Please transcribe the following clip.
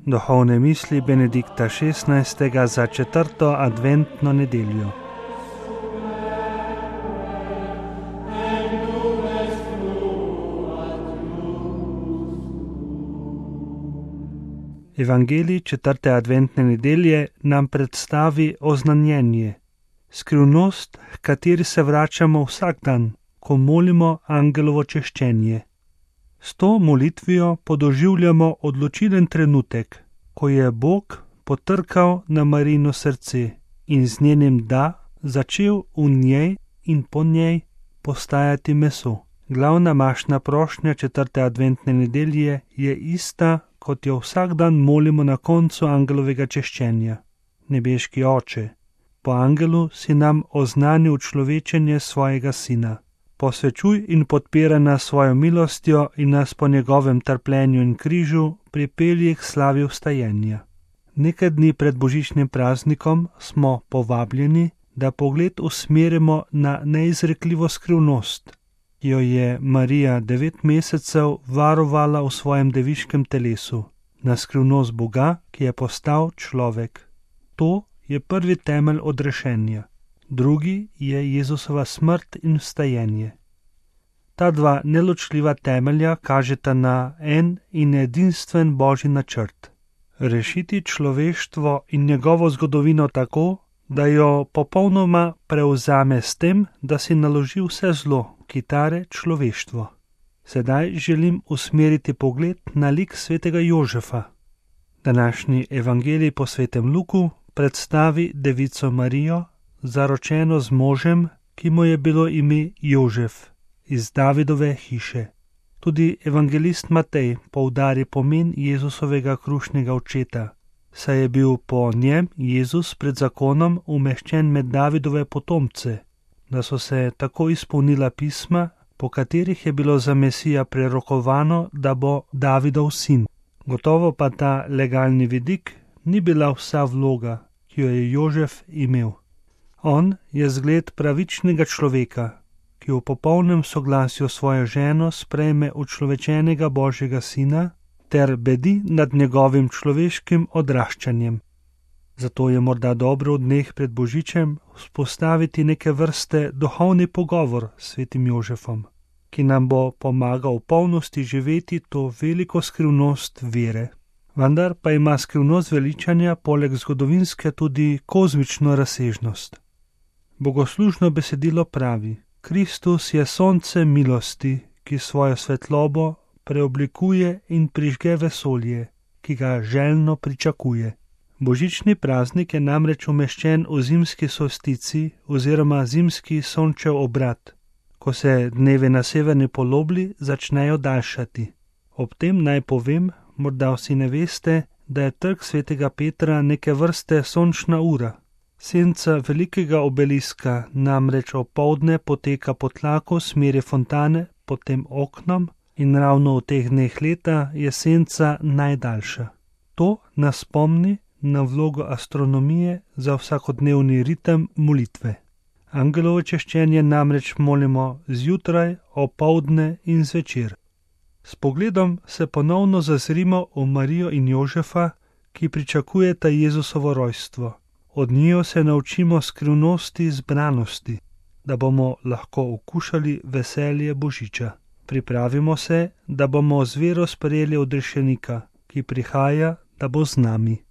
Duhovne misli Benedikta XVI. Za 4. adventno nedeljo. Evangelij 4. adventne nedelje nam predstavi oznanjenje, skrivnost, h kateri se vračamo vsak dan, ko molimo angelovo češčenje. S to molitvijo podoživljamo odločilen trenutek, ko je Bog potrkal na Marijino srce in z njenim da začel v njej in po njej postajati meso. Glavna mašna prošnja 4. adventne nedelje je ista, kot jo vsak dan molimo na koncu angelovega češčenja. Nebeški Oče, po angelu si nam oznanil človečenje svojega Sina. Posvečuj in podpiraj nas svojo milostjo in nas po njegovem trpljenju in križu pripelji k slavi vstajenja. Nekaj dni pred božičnim praznikom smo povabljeni, da pogled usmerimo na neizrekljivo skrivnost, ki jo je Marija 9 mesecev varovala v svojem deviškem telesu, na skrivnost Boga, ki je postal človek. To je prvi temelj odrešenja. Drugi je Jezusova smrt in vstajenje. Ta dva neločljiva temelja kažeta na en in edinstven Božji načrt. Rešiti človeštvo in njegovo zgodovino tako, da jo popolnoma prevzame s tem, da si naloži vse zlo, ki tare človeštvo. Sedaj želim usmeriti pogled na lik svetega Jožefa. Današnji evangelij po svetem Luku predstavi devico Marijo, zaročeno z možem, ki mu je bilo ime Jožef, iz Davidove hiše. Tudi evangelist Matej poudari pomen Jezusovega krušnega očeta, saj je bil po njem Jezus pred zakonom umeščen med Davidove potomce, da so se tako izpolnila pisma, po katerih je bilo za Mesija prerokovano, da bo Davidov sin. Gotovo pa ta legalni vidik ni bila vsa vloga, ki jo je Jožef imel. On je zgled pravičnega človeka, ki v popolnem soglasju svojo ženo sprejme učlovečenega Božjega sina ter bedi nad njegovim človeškim odraščanjem. Zato je morda dobro v dneh pred Božičem vzpostaviti neke vrste duhovni pogovor s svetim Jožefom, ki nam bo pomagal v polnosti živeti to veliko skrivnost vere. Vendar pa ima skrivnost veličanja poleg zgodovinske tudi kozmično razsežnost. Bogoslužno besedilo pravi: Kristus je sonce milosti, ki svojo svetlobo preoblikuje in prižge vesolje, ki ga željno pričakuje. Božični praznik je namreč umeščen v zimski solstici oziroma zimski sončev obrat, ko se dnevi na severni polobli začnejo daljšati. Ob tem naj povem, morda vsi ne veste, da je trg svetega Petra neke vrste sončna ura. Senca velikega obeliska namreč opoldne poteka po tlaku smeri fontane pod tem oknom in ravno v teh dneh leta je senca najdaljša. To nas spomni na vlogo astronomije za vsakodnevni ritem molitve. Angelovo češčenje namreč molimo zjutraj, opoldne in zvečer. S pogledom se ponovno zazrimo v Marijo in Jožefa, ki pričakujeta Jezusovo rojstvo. Od njiju se naučimo skrivnosti zbranosti, da bomo lahko okušali veselje Božiča. Pripravimo se, da bomo z vero sprejeli odrešenika, ki prihaja, da bo z nami.